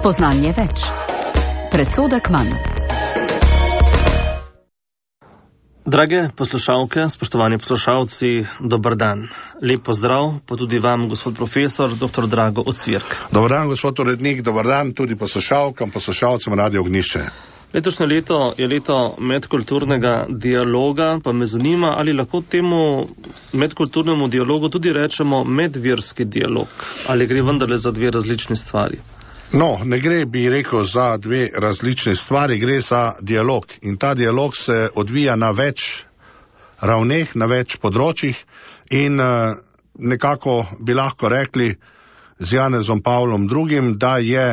Spoznanje več. Predsodek manj. Drage poslušalke, spoštovani poslušalci, dober dan. Lep pozdrav, pa tudi vam, gospod profesor, dr. Drago Ocvirk. Dobar dan, gospod urednik, dobar dan tudi poslušalkam, poslušalcem Radio Ognjišče. Letošnje leto je leto medkulturnega dialoga, pa me zanima, ali lahko temu medkulturnemu dialogu tudi rečemo medverski dialog, ali gre vendarle za dve različni stvari? No, ne gre, bi rekel, za dve različne stvari, gre za dialog. In ta dialog se odvija na več ravneh, na več področjih in nekako bi lahko rekli z Janezom Pavlom II, da je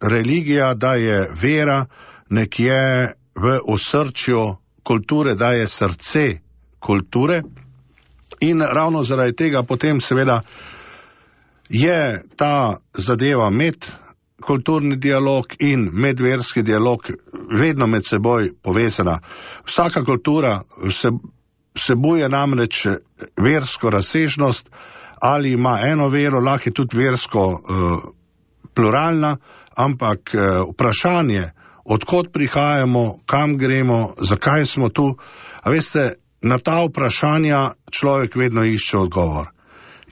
religija, da je vera nekje v osrčju kulture, da je srce kulture. In ravno zaradi tega potem seveda je ta zadeva medkulturni dialog in medverski dialog vedno med seboj povezana. Vsaka kultura vsebuje namreč versko razsežnost, ali ima eno vero, lahko je tudi versko pluralna, ampak vprašanje, odkot prihajamo, kam gremo, zakaj smo tu, a veste, na ta vprašanja človek vedno išče odgovor.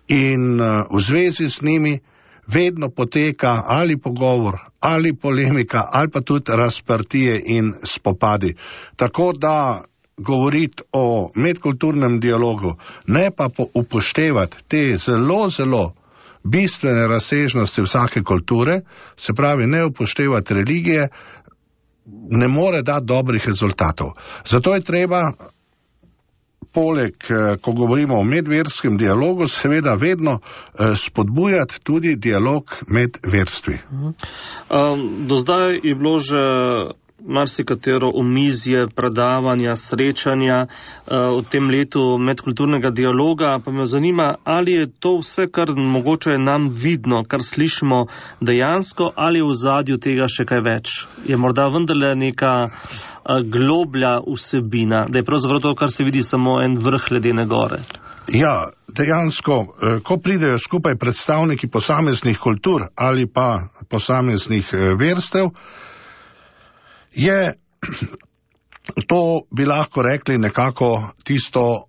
In v zvezi s njimi vedno poteka ali pogovor, ali polemika, ali pa tudi razprtije in spopadi. Tako da govoriti o medkulturnem dialogu, ne pa upoštevati te zelo, zelo bistvene razsežnosti vsake kulture, se pravi ne upoštevati religije, ne more dati dobrih rezultatov. Zato je treba poleg, ko govorimo o medverskem dialogu, seveda vedno spodbujati tudi dialog med verstvi. Do zdaj je bilo že marsikatero omizje, predavanja, srečanja v tem letu medkulturnega dialoga, pa me zanima, ali je to vse, kar mogoče nam vidno, kar slišimo dejansko, ali v ozadju tega še kaj več? Je morda vendarle neka globlja vsebina, da je pravzaprav to, kar se vidi, samo en vrh ledene gore? Ja, dejansko, ko pridejo skupaj predstavniki posameznih kultur ali pa posameznih verstev, je to, bi lahko rekli, nekako tisto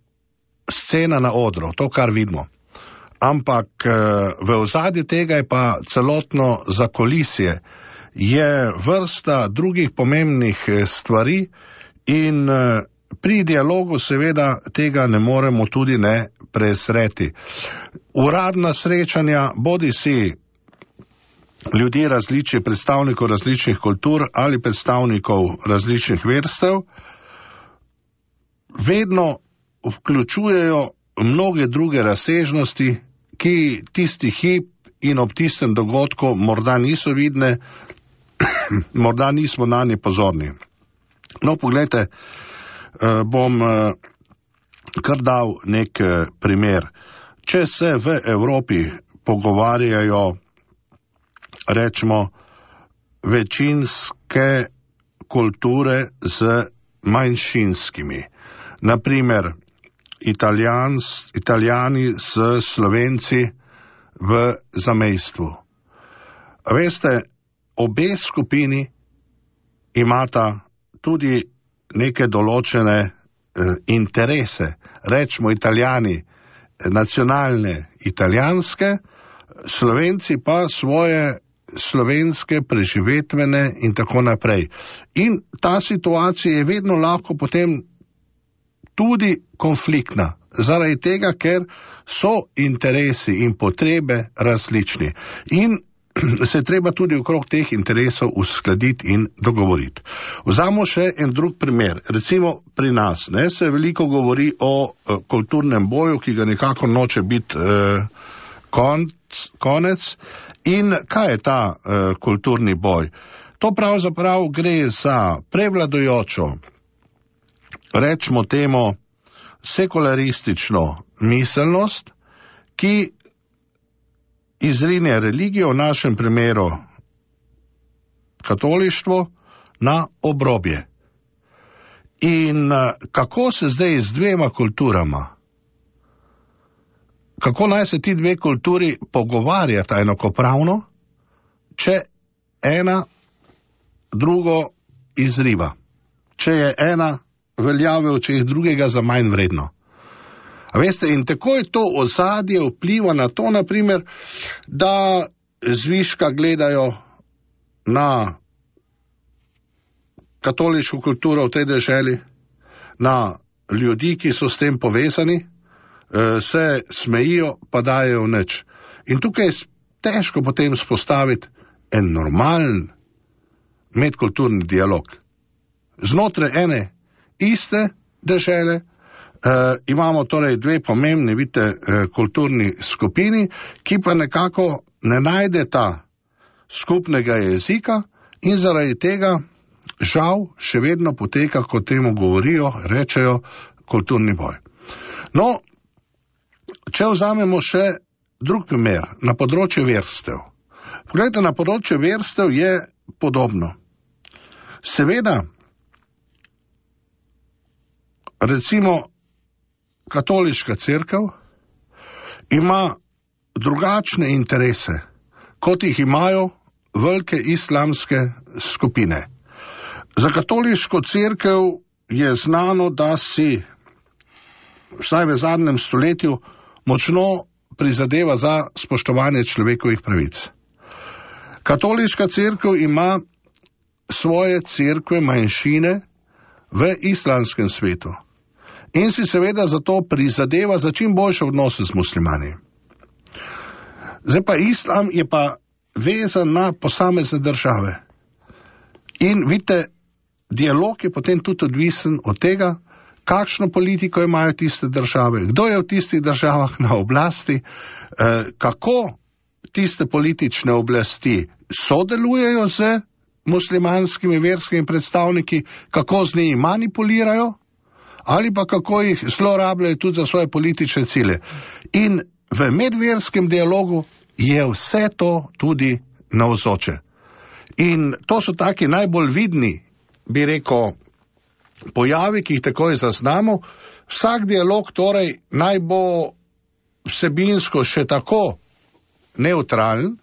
scena na odru, to, kar vidimo. Ampak v ozadju tega je pa celotno zakulisje, je vrsta drugih pomembnih stvari in pri dialogu seveda tega ne moremo tudi ne prezreti. Uradna srečanja, bodisi ljudi različnih, predstavnikov različnih kultur ali predstavnikov različnih verstev, vedno vključujejo mnoge druge razsežnosti, ki tisti hip in ob tistem dogodku morda niso vidne, morda nismo na nje pozorni. No, poglejte, bom kar dal nek primer. Če se v Evropi pogovarjajo, rečemo, večinske kulture z manjšinskimi. Naprimer, Italijani s Slovenci v zamejstvu. Veste, obe skupini imata tudi neke določene interese. Rečemo Italijani nacionalne italijanske, Slovenci pa svoje slovenske, preživetvene in tako naprej. In ta situacija je vedno lahko potem tudi konfliktna, zaradi tega, ker so interesi in potrebe različni. In se treba tudi okrog teh interesov uskladiti in dogovoriti. Vzamo še en drug primer. Recimo pri nas, se veliko govori o kulturnem boju, ki ga nekako noče biti konec. In kaj je ta kulturni boj? To pravzaprav gre za prevladujočo, rečemo temu, sekularistično miselnost, ki izrine religijo, v našem primeru katolištvo, na obrobje. In kako se zdaj z dvema kulturama, kako naj se ti dve kulturi pogovarjata enakopravno, če ena drugo izriva. Če je ena, velja v očeh drugega za manj vredno. A veste, in tako je to ozadje vpliva na to, naprimer, da zviška gledajo na katoliško kulturo v tej deželi, na ljudi, ki so s tem povezani, se smejijo, pa dajejo nič. In tukaj je težko potem spostaviti en normalen medkulturni dialog. Znotraj ene iste dežele imamo torej dve pomembni, vidite, kulturni skupini, ki pa nekako ne najdeta skupnega jezika in zaradi tega žal še vedno poteka, kot temu govorijo, rečejo, kulturni boj. No, če vzamemo še drug primer, na področju verstev. Poglejte, na področju verstev je podobno. Seveda, recimo, katoliška cerkev ima drugačne interese, kot jih imajo velike islamske skupine. Za katoliško cerkev je znano, da si vsaj v zadnjem stoletju močno prizadeva za spoštovanje človekovih pravic. Katoliška cerkev ima svoje cerkve manjšine v islamskem svetu in si seveda zato prizadeva za čim boljše odnose z muslimani. Zdaj pa islam je pa vezan na posamezne države. In vidite, dialog je potem tudi odvisen od tega, kakšno politiko imajo tiste države, kdo je v tistih državah na oblasti, kako tiste politične oblasti sodelujejo z muslimanskimi verskimi predstavniki, kako z njimi manipulirajo ali pa kako jih zlorabljajo tudi za svoje politične cilje. In v medverskem dialogu je vse to tudi navzoče. In to so taki najbolj vidni, bi rekel, pojavi, ki jih takoj zaznamo. Vsak dialog torej naj bo vsebinsko še tako nevtralen,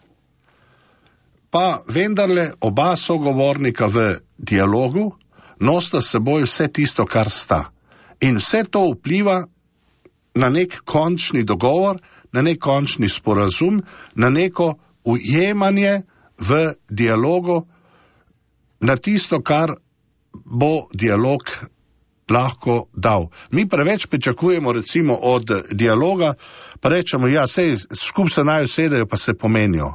pa vendarle oba sogovornika v dialogu nosita s seboj vse tisto, kar sta. In vse to vpliva na nek končni dogovor, na nek končni sporazum, na neko ujemanje v dialogu, na tisto, kar bo dialog lahko dal. Mi preveč pričakujemo recimo od dialoga, pa rečemo, ja, sej skup se naj usedejo, pa se pomenijo.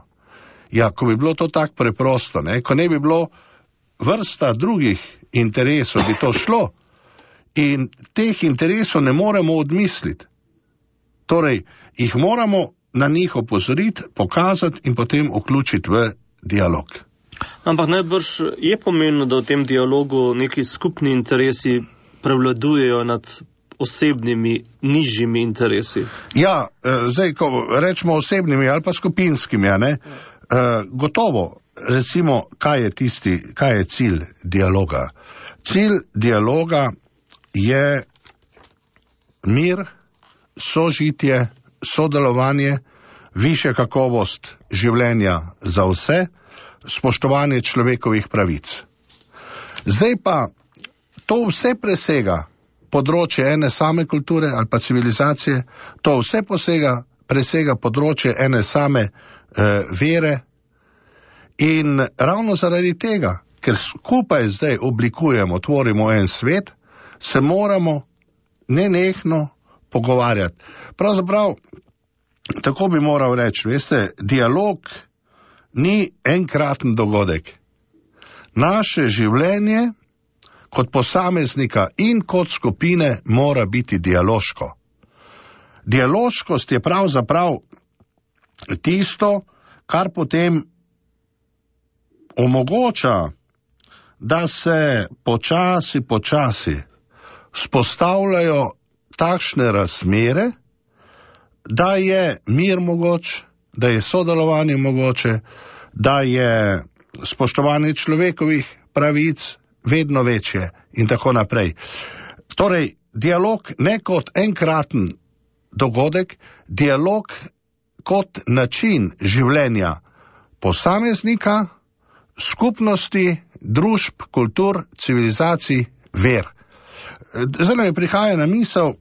Ja, ko bi bilo to tako preprosto, ne? Ko ne bi bilo vrsta drugih interesov, bi to šlo. In teh interesov ne moremo odmisliti. Torej, jih moramo na njih opozoriti, pokazati in potem vključiti v dialog. Ampak najbrž je pomembno, da v tem dialogu neki skupni interesi prevladujejo nad osebnimi, nižjimi interesi. Ja, zdaj, ko rečemo osebnimi ali pa skupinskimi, ne? Gotovo, recimo, kaj je cilj dialoga? Cilj dialoga je mir, sožitje, sodelovanje, višja kakovost življenja za vse, spoštovanje človekovih pravic. Zdaj pa to vse presega področje ene same kulture ali pa civilizacije, to vse presega področje ene same vere in ravno zaradi tega, ker skupaj zdaj oblikujemo, tvorimo en svet, se moramo nenehno pogovarjati. Pravzaprav, tako bi moral reči, veste, dialog ni enkraten dogodek. Naše življenje kot posameznika in kot skupine mora biti dialoško. Dialoškost je pravzaprav tisto, kar potem omogoča, da se počasi vzpostavljajo takšne razmere, da je mir mogoč, da je sodelovanje mogoče, da je spoštovanje človekovih pravic vedno večje in tako naprej. Torej, dialog ne kot enkraten dogodek, dialog kot način življenja posameznika skupnosti, družb, kultur, civilizacij, ver. Zdaj mi prihaja na misel,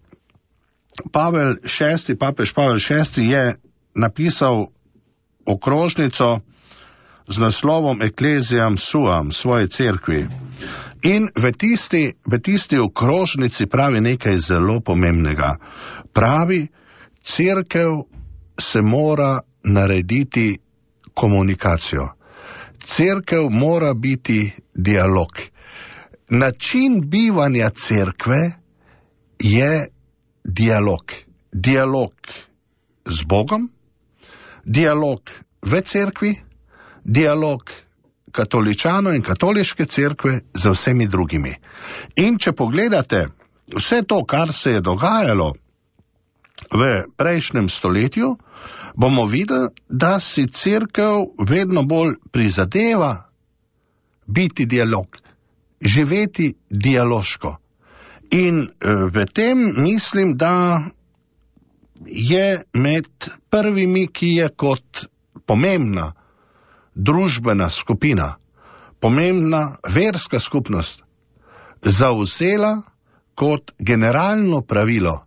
papež Pavel VI je napisal okrožnico z naslovom Ecclesiam Suam, svoje cerkvi. In v tisti okrožnici pravi nekaj zelo pomembnega. Pravi, cerkev se mora narediti komunikacijo. Cerkev mora biti dialog. Način bivanja cerkve je dialog. Dialog z Bogom, dialog v cerkvi, dialog katoličanov in katoliške cerkve z vsemi drugimi. In če pogledate vse to, kar se je dogajalo v prejšnjem stoletju, bomo videli, da si cerkev vedno bolj prizadeva biti dialog, živeti dialoško. In v tem mislim, da je med prvimi, ki je kot pomembna družbena skupina, pomembna verska skupnost, zavzela kot generalno pravilo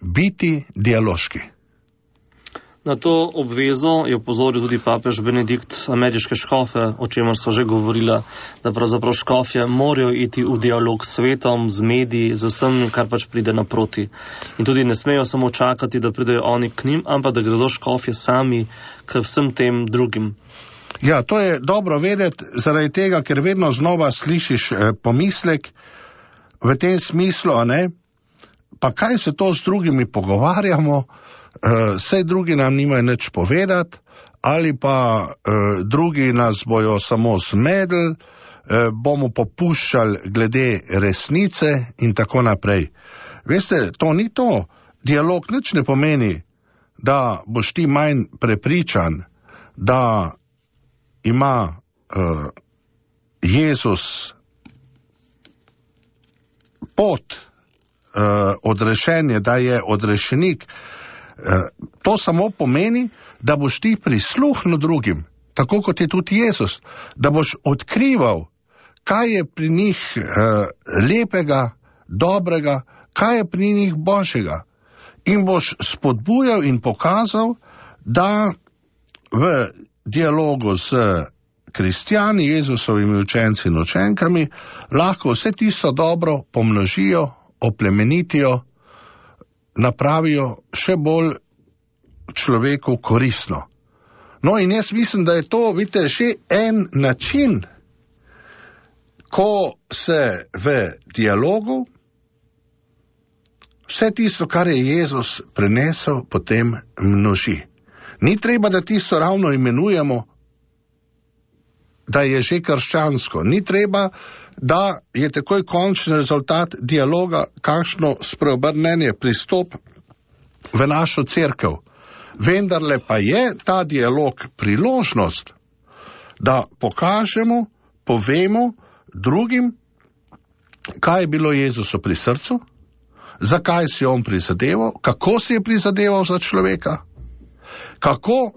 biti dialoški. Na to obvezo je opozoril tudi papež Benedikt ameriške škofe, o čemer sva že govorila, da pravzaprav škofje morajo iti v dialog s svetom, z mediji, z vsem, kar pač pride naproti. In tudi ne smejo samo čakati, da pridejo oni k njim, ampak da gredo škofje sami k vsem tem drugim. Ja, to je dobro vedeti, zaradi tega, ker vedno znova slišiš pomislek v tem smislu, a ne? Pa kaj se to z drugimi pogovarjamo, saj drugi nam nimajo nič povedati, ali pa drugi nas bojo samo zmedli, bomo popuščali glede resnice in tako naprej. Veste, to ni to. Dialog nič ne pomeni, da boš ti manj prepričan, da ima Jezus pot odrešenja, da je odrešenik. To samo pomeni, da boš ti prisluhnil drugim, tako kot je tudi Jezus, da boš odkrival, kaj je pri njih lepega, dobrega, kaj je pri njih božjega. In boš spodbujal in pokazal, da v dialogu s kristjani, Jezusovimi učenci in učenkami, lahko vse tisto dobro pomnožijo, oplemenitijo, napravijo še bolj človeku koristno. No in jaz mislim, da je to, vidite, še en način, ko se v dialogu vse tisto, kar je Jezus prenesel, potem množi. Ni treba, da tisto ravno imenujemo, da je že krščansko. Ni treba, da je takoj končni rezultat dialoga kakšno spreobrnenje, pristop v našo cerkev. Vendarle pa je ta dialog priložnost, da pokažemo, povemo drugim, kaj je bilo Jezusu pri srcu, zakaj si on prizadeval, kako si je prizadeval za človeka, kako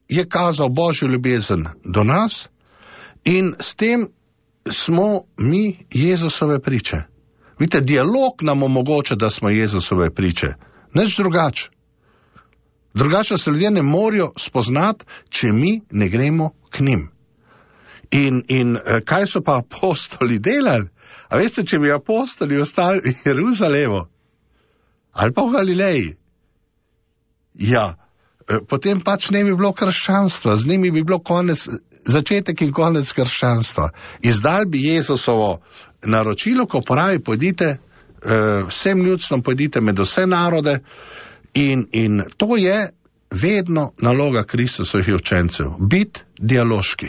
je kazal Božjo ljubezen do nas, in s tem smo mi Jezusove priče. Vidite, dialog nam omogoča, da smo Jezusove priče. Nič drugače. Drugače se ljudje ne morajo spoznati, če mi ne gremo k njim. In kaj so pa apostoli delali? A veste, če bi apostoli ostali v Jeruzalemu ali pa v Galileji, ja, potem pač ne bi bilo krščanstva, z njimi bi bilo začetek in konec krščanstva. Izdal bi Jezusovo naročilo, ko pravi, pojdite vsem ljudstvom, pojdite med vse narode, in to je vedno naloga Kristusovih učencev, biti dialoški.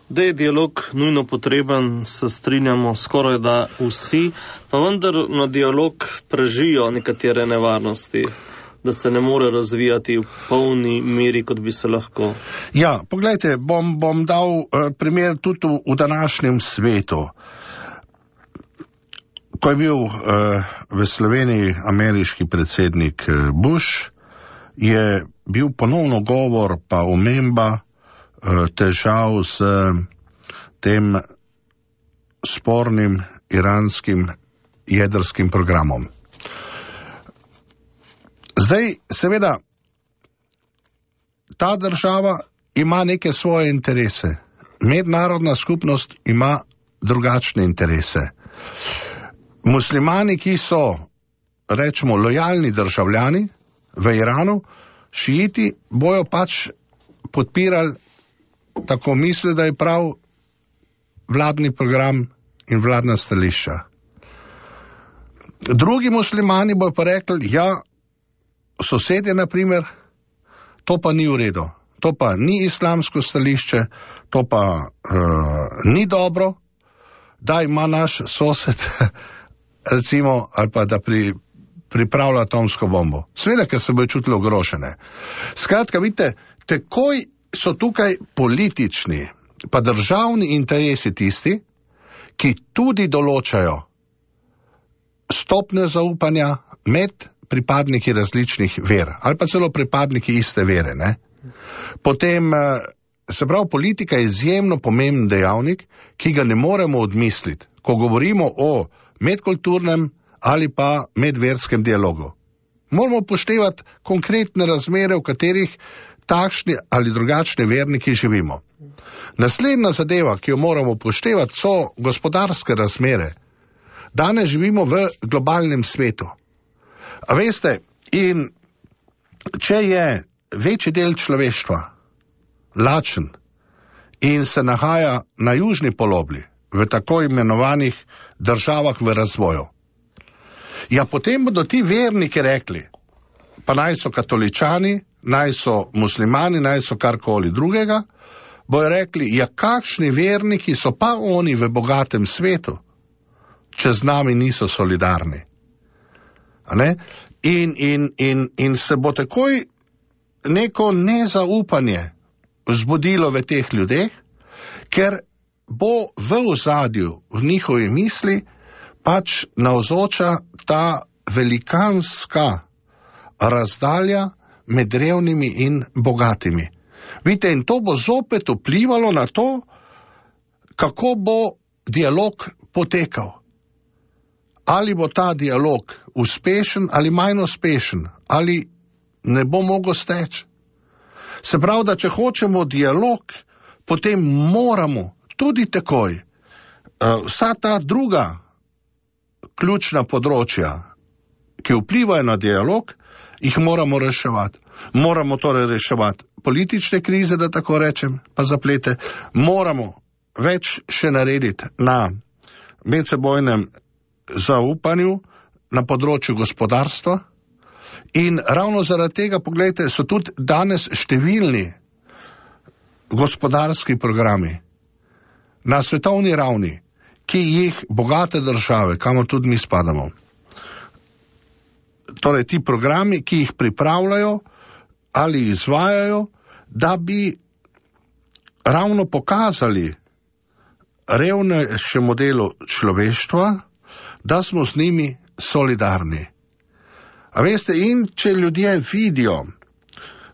Da je dialog nujno potreben, se strinjamo skoraj da vsi, pa vendar na dialog prežijo nekatere nevarnosti, da se ne more razvijati v polni meri, kot bi se lahko. Ja, poglejte, bom dal primer tudi v današnjem svetu. Ko je bil v Sloveniji ameriški predsednik Bush, je bil ponovno govor pa omemba težav s tem spornim iranskim jedrskim programom. Zdaj, seveda, ta država ima neke svoje interese. Mednarodna skupnost ima drugačne interese. Muslimani, ki so, rečemo, lojalni državljani v Iranu, šiiti bojo pač podpirali, tako misli, da je prav vladni program in vladna stališča. Drugi muslimani bojo pa rekli, ja, sosedje, na primer, to pa ni v redu. To pa ni islamsko stališče, to pa ni dobro, da ima naš sosed, recimo, ali pa da pripravlja atomsko bombo. Seveda, ker se bojo čutili ogrožene. Skratka, vidite, takoj so tukaj politični, pa državni interesi tisti, ki tudi določajo stopnjo zaupanja med pripadniki različnih ver, ali pa celo pripadniki iste vere, ne? Potem, se pravi, politika je izjemno pomemben dejavnik, ki ga ne moremo odmisliti, ko govorimo o medkulturnem ali pa medverskem dialogu. Moramo upoštevati konkretne razmere, v katerih takšni ali drugačni verniki živimo. Naslednja zadeva, ki jo moramo upoštevati, so gospodarske razmere. Danes živimo v globalnem svetu. A veste, in če je večji del človeštva lačen in se nahaja na južni polobli, v tako imenovanih državah v razvoju, ja, potem bodo ti verniki rekli, pa naj so katoličani, naj so muslimani, naj so karkoli drugega, bojo rekli, ja, kakšni verniki so pa oni v bogatem svetu, če z nami niso solidarni. A ne? In se bo takoj neko nezaupanje vzbudilo v teh ljudeh, ker bo v ozadju, v njihovi misli, pač navzoča ta velikanska razdalja med revnimi in bogatimi. Vidite, in to bo zopet vplivalo na to, kako bo dialog potekal. Ali bo ta dialog uspešen ali manj uspešen, ali ne bo mogel steči. Se pravi, da če hočemo dialog, potem moramo tudi takoj vsa ta druga ključna področja, ki vplivajo na dialog, jih moramo reševati. Moramo torej reševati politične krize, da tako rečem, pa zaplete. Moramo več še narediti na medsebojnem zaupanju na področju gospodarstva in ravno zaradi tega, poglejte, so tudi danes številni gospodarski programi na svetovni ravni, ki jih bogate države, kamor tudi mi spadamo, torej ti programi, ki jih pripravljajo ali izvajajo, da bi ravno pokazali revnejšemu delu človeštva, da smo z njimi solidarni. A veste, in če ljudje vidijo,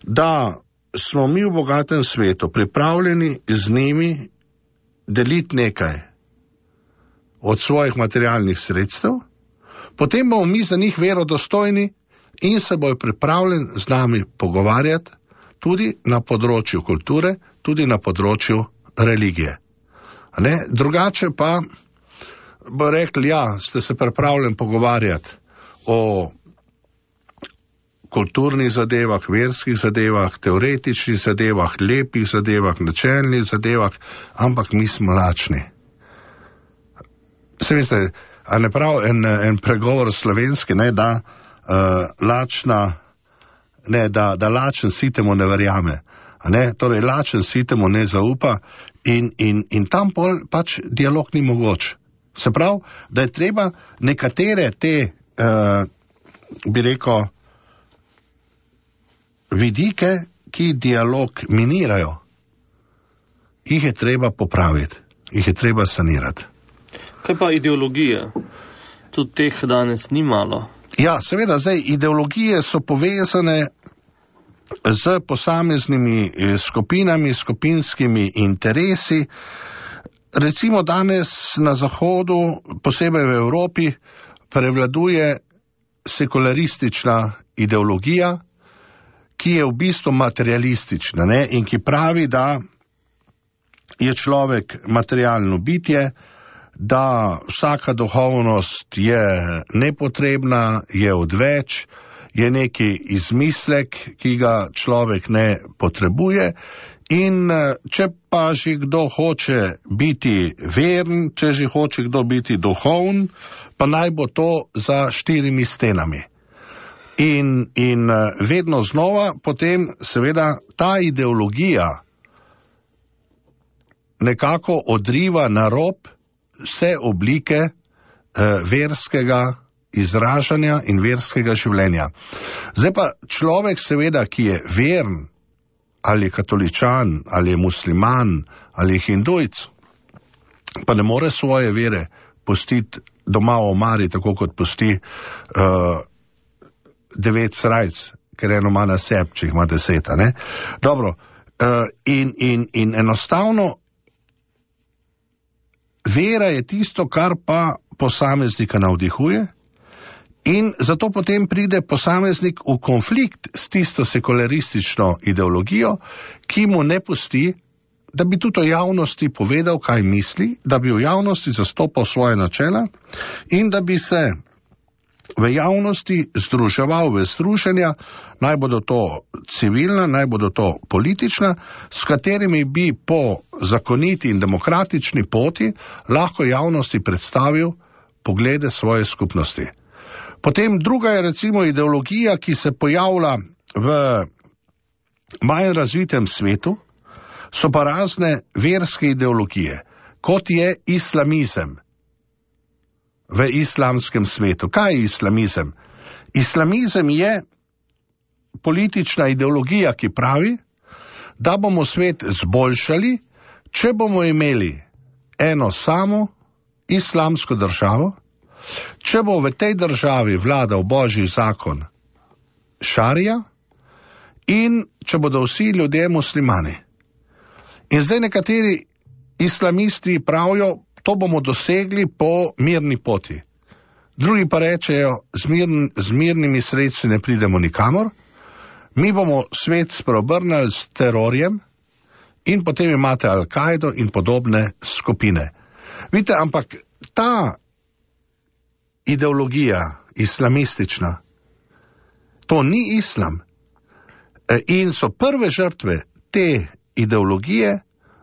da smo mi v bogatem svetu pripravljeni z njimi deliti nekaj od svojih materialnih sredstev, potem bomo mi za njih verodostojni in se bojo pripravljeni z nami pogovarjati tudi na področju kulture, tudi na področju religije. Ne? Drugače pa bo rekli, ja, ste se pripravljeni pogovarjati o kulturnih zadevah, verskih zadevah, teoretičnih zadevah, lepih zadevah, načelnih zadevah, ampak mi smo lačni. Se veste, a ne prav en pregovor slovenski, ne, da lačna, ne, da lačen sitemu ne verjame. Ne, torej lačen sitemu ne zaupa in tam pač dialog ni mogoč. Se pravi, da je treba nekatere te, bi rekel, vidike, ki dialog minirajo, jih je treba popraviti, jih je treba sanirati. Kaj pa ideologije? Tudi teh danes ni malo. Ja, seveda, zdaj ideologije so povezane z posameznimi skupinami, skupinskimi interesi. Recimo danes na Zahodu, posebej v Evropi, prevladuje sekularistična ideologija, ki je v bistvu materialistična, ne? In ki pravi, da je človek materialno bitje, da vsaka duhovnost je nepotrebna, je odveč, je neki izmislek, ki ga človek ne potrebuje. In če pa že kdo hoče biti veren, če že hoče kdo biti duhoven, pa naj bo to za 4 stenami. In vedno znova potem seveda ta ideologija nekako odriva na rob vse oblike verskega izražanja in verskega življenja. Zdaj pa človek seveda, ki je veren, ali je katoličan, ali je musliman, ali je hindujc, pa ne more svoje vere pustiti doma v omari, tako kot pusti 9 srajc, ker eno ima na sebi, če jih ima 10, ne? Dobro, in enostavno vera je tisto, kar pa posameznika navdihuje, in zato potem pride posameznik v konflikt s tisto sekularistično ideologijo, ki mu ne pusti, da bi tudi v javnosti povedal, kaj misli, da bi v javnosti zastopal svoje načela in da bi se v javnosti združeval v združenja, naj bodo to civilna, naj bodo to politična, s katerimi bi po zakoniti in demokratični poti lahko javnosti predstavil poglede svoje skupnosti. Potem druga je recimo ideologija, ki se pojavlja v manj razvitem svetu, so pa razne verske ideologije, kot je islamizem v islamskem svetu. Kaj je islamizem? Islamizem je politična ideologija, ki pravi, da bomo svet zboljšali, če bomo imeli eno samo islamsko državo, če bo v tej državi vladal božji zakon šarija in če bodo vsi ljudje muslimani. In zdaj nekateri islamisti pravijo, to bomo dosegli po mirni poti. Drugi pa rečejo, z mirnimi sredstvi ne pridemo nikamor, mi bomo svet spreobrnili s terorjem in potem imate Al-Kaido in podobne skupine. Vidite, ampak ta ideologija islamistična, to ni islam. In so prve žrtve te ideologije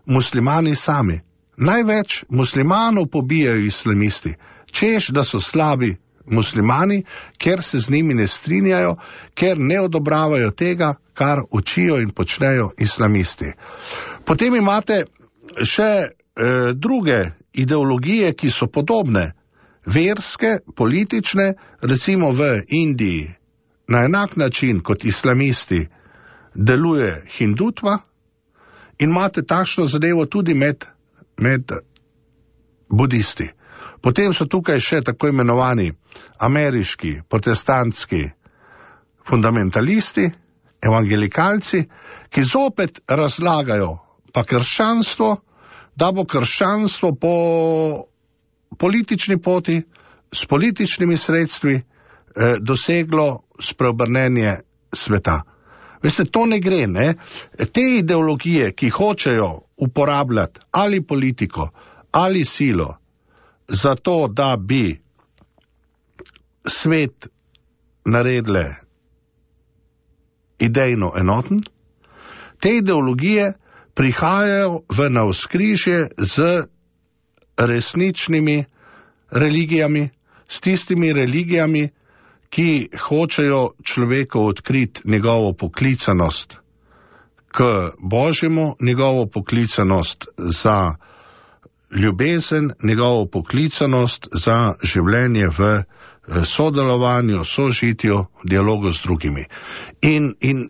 muslimani sami. Največ muslimanov pobijajo islamisti, češ, da so slabi muslimani, ker se z njimi ne strinjajo, ker ne odobravajo tega, kar učijo in počnejo islamisti. Potem imate še druge ideologije, ki so podobne, verske, politične, recimo v Indiji, na enak način kot islamisti deluje hindutva in imate takšno zadevo tudi med budisti. Potem so tukaj še tako imenovani ameriški, protestantski fundamentalisti, evangelikalci, ki zopet razlagajo pa krščanstvo, da bo krščanstvo po politični poti, s političnimi sredstvi doseglo spreobrnenje sveta. Veste, to ne gre, ne? Te ideologije, ki hočejo uporabljati ali politiko, ali silo, zato da bi svet naredile idejno enoten, te ideologije prihajajo v navzkrižje z resničnimi religijami, s tistimi religijami, ki hočejo človeku odkriti njegovo poklicanost k Božjemu, njegovo poklicanost za ljubezen, njegovo poklicanost za življenje v sodelovanju, sožitju, dialogu z drugimi. In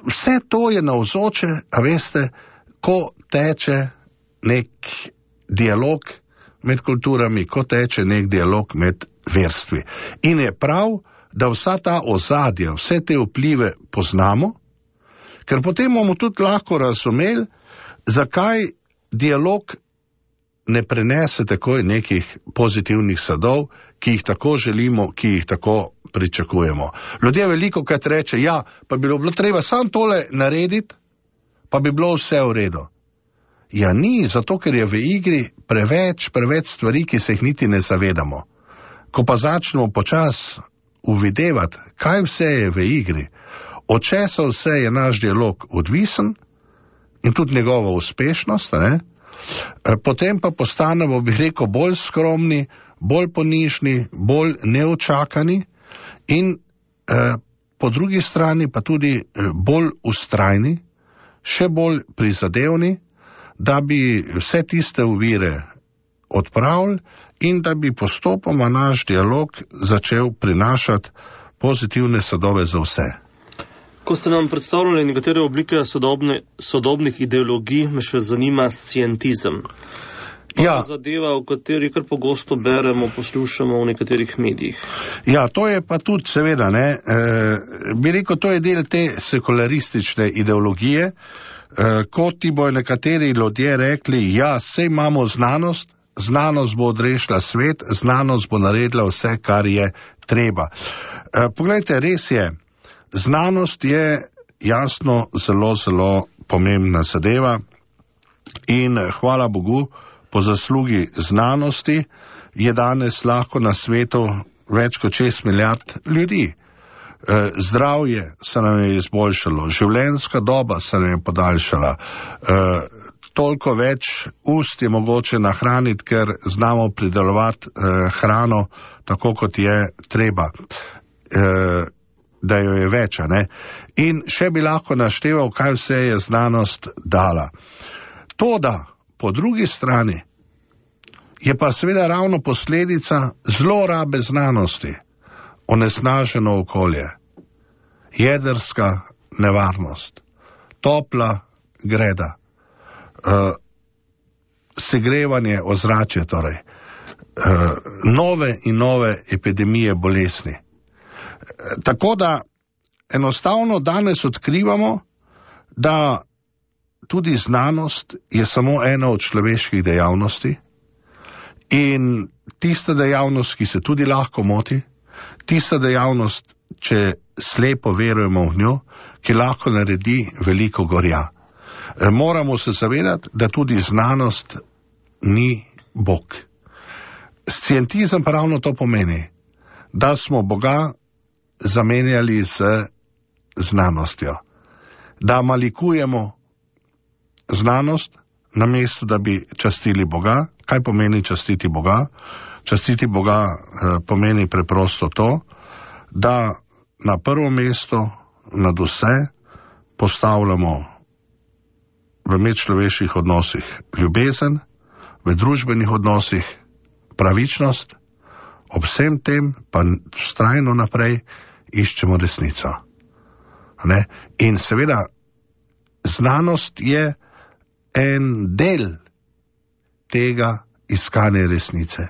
vse to je navzoče, a veste, ko teče nek dialog med kulturami, ko teče nek dialog med verstvi. In je prav, da vsa ta ozadja, vse te vplive poznamo, ker potem bomo tudi lahko razumeli, zakaj dialog ne prenese takoj nekih pozitivnih sadov, ki jih tako želimo, ki jih tako pričakujemo. Ljudje veliko krat reče, ja, pa bi bilo treba samo tole narediti, pa bi bilo vse v redu. Ja, ni, zato ker je v igri preveč stvari, ki se jih niti ne zavedamo. Ko pa začnemo počas uvidevati, kaj vse je v igri, od česa vse je naš dialog odvisen in tudi njegova uspešnost, ne? Potem pa postanemo, bi rekel, bolj skromni, bolj ponižni, bolj neočakani in po drugi strani pa tudi bolj ustrajni, še bolj prizadevni, da bi vse tiste ovire odpravili in da bi postopoma naš dialog začel prinašati pozitivne sadove za vse. Ko ste nam predstavljali nekatere oblike sodobnih ideologij, me še zanima scientizem. Ja. Zadeva, o kateri kar pogosto beremo, poslušamo v nekaterih medijih. Ja, to je pa tudi seveda, ne, bi rekel, to je del te sekularistične ideologije, kot ti bojo nekateri ljudje rekli, ja, sej imamo znanost, znanost bo odrešila svet, znanost bo naredila vse, kar je treba. Poglejte, res je, znanost je jasno zelo pomembna zadeva in hvala Bogu, po zaslugi znanosti je danes lahko na svetu več kot 6 milijard ljudi. Zdravje se nam je izboljšalo, življenjska doba se nam je podaljšala, toliko več ust je mogoče nahraniti, ker znamo pridelovati hrano tako, kot je treba, da jo je več, ne? In še bi lahko našteval, kaj vse je znanost dala. Toda, po drugi strani, je pa seveda ravno posledica zlorabe znanosti, onesnaženo okolje, jedrska nevarnost, topla greda, segrevanje ozračja, torej, nove in nove epidemije bolezni. Tako da enostavno danes odkrivamo, da tudi znanost je samo ena od človeških dejavnosti in tista dejavnost, ki se tudi lahko moti, tista dejavnost, če slepo verujemo v njo, ki lahko naredi veliko gorja. Moramo se zavedati, da tudi znanost ni Bog. Scientizem pa ravno to pomeni, da smo Boga zamenjali z znanostjo, da malikujemo znanost, namesto da bi častili Boga. Kaj pomeni častiti Boga? Častiti Boga pomeni preprosto to, da na prvo mesto nad vse postavljamo v medčloveških odnosih ljubezen, v družbenih odnosih pravičnost, ob vsem tem pa vztrajno naprej iščemo resnico. Ne? In seveda znanost je en del tega iskanja resnice.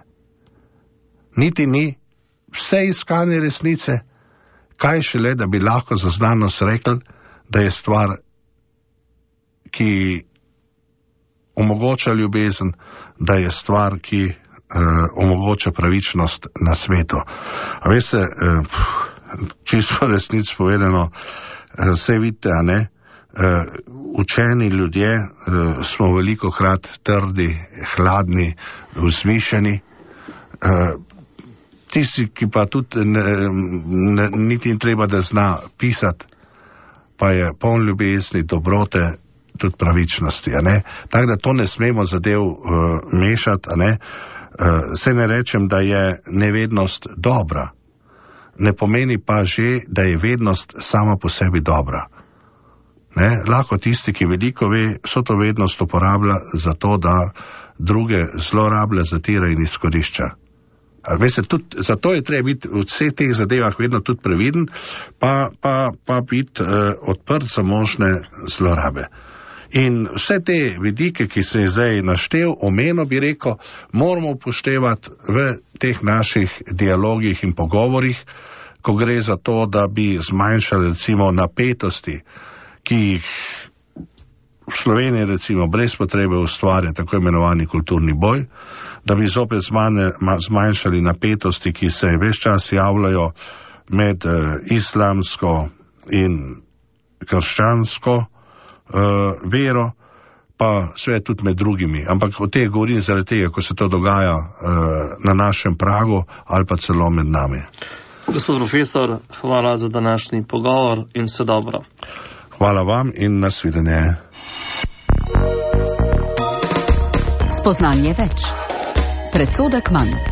Niti ni vse iskanje resnice, kaj šele, da bi lahko za znanost rekli, da je stvar, ki omogoča ljubezen, da je stvar, ki omogoča pravičnost na svetu. A veste, čisto resnic povedano, vse vidite, a ne, učeni ljudje smo velikokrat trdi, hladni, vzvišeni, tisti, ki pa tudi niti in treba, da zna pisati, pa je poln ljubezni, dobrote, tudi pravičnosti, a ne. Tako da to ne smemo zadev mešati, a ne. Se ne rečem, da je nevednost dobra, ne pomeni pa že, da je vednost sama po sebi dobra. Ne? Lahko tisti, ki veliko ve, vso to vednost uporablja za to, da druge zlorablja, zatira in izkorišča. Veste, tudi zato je treba biti v vseh teh zadevah vedno tudi previden, pa biti odprt za možne zlorabe. In vse te vidike, ki se je zdaj naštel, omenil bi rekel, moramo upoštevati v teh naših dialogih in pogovorih, ko gre za to, da bi zmanjšali recimo napetosti, ki jih v Sloveniji recimo brez potrebe ustvarja tako imenovani kulturni boj, da bi zopet zmanjšali napetosti, ki se ves čas javljajo med islamsko in krščansko vero, pa sve tudi med drugimi. Ampak o teh govorim zaradi tega, ko se to dogaja na našem pragu ali pa celo med nami. Gospod profesor, hvala za današnji pogovor in vse dobro. Hvala vam in nasvidenje. Spoznanje več. Predsodek manj.